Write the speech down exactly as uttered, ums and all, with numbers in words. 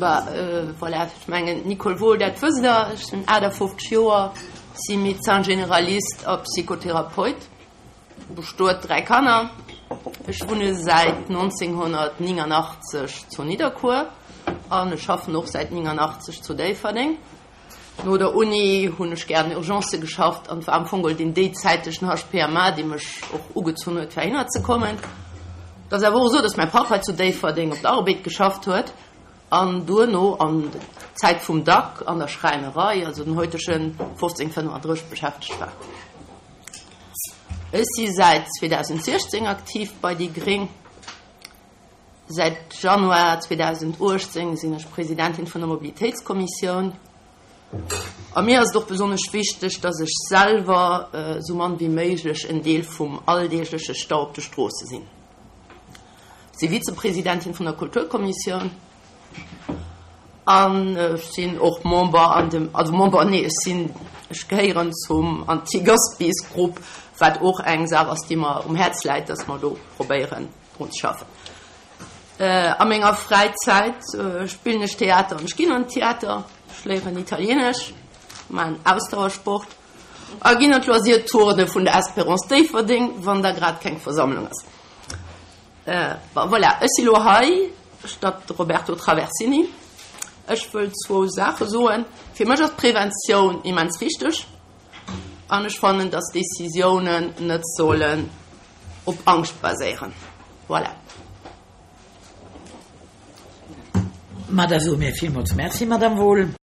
Bah, voilà, ech mengen, Nicole Wohl, dat wësst Der, ech sinn aachtafofzeg Joer, si Médecin généraliste a Psychotherapeut, bestuet, dräi Kanner. Ech wunne säit nonzénghonnertnéngannachtzeg zu Nidderkuer an ech schaffen och säit néngannachtzeg zu Déifferdeng. No der Uni hunn ech gär an Urgencë geschafft an et war am Fong geholl deen déizäitegen H P M A, dee mech och ugezunn huet, fir heihinner ze kommen. Et ass awer och esou, dass mäi Papp hei zu Déifferdeng op der Arbed geschafft huet an duerno an der Zäit vum Dack an der Schräinerei, also den heutegen fofzéng fënnefandrësseg, beschäftegt war. Ech si säit zweedausentsiechzéng aktiv bei déi Gréng. Säit Januar zweedausentuechtzéng sinn ech Presidentin vun der Mobilitéitskommissioun. A mir ass et och besonnesch wichteg, dass ech selwer esou mann wéi méiglech en Deel vum alldeegleche Stau op de Stroosse sinn. Ech si Vizepresidentin vun der Kulturkommissioun an ech sinn och Member an dem, also Member, nee, ech sinn, ech gehéieren zum Anti-Gaspis-Grupp, wat och eng Saach ass, déi mer um Häerz läit, dass mer do probéieren drun ze schaffen. A menger Fräizäit spillen ech Theater an ech ginn an Theater, ech léieren Italienesch, maachen Ausdauersport a ginn an d'Loisir-Turne vun der Espérance Déifferdeng, wann da grad keng Versammlung ass. Bon, voilà, ech si lo hei statt de Roberto Traversini. Ech wëll zwou Saache soen. Fir mech ass d'Preventioun immens wichteg an ech fannen, dass Decisiounen net sollen op Angscht baséieren. Voilà. Ma da soe mir villmools Merci, Madame Wohl.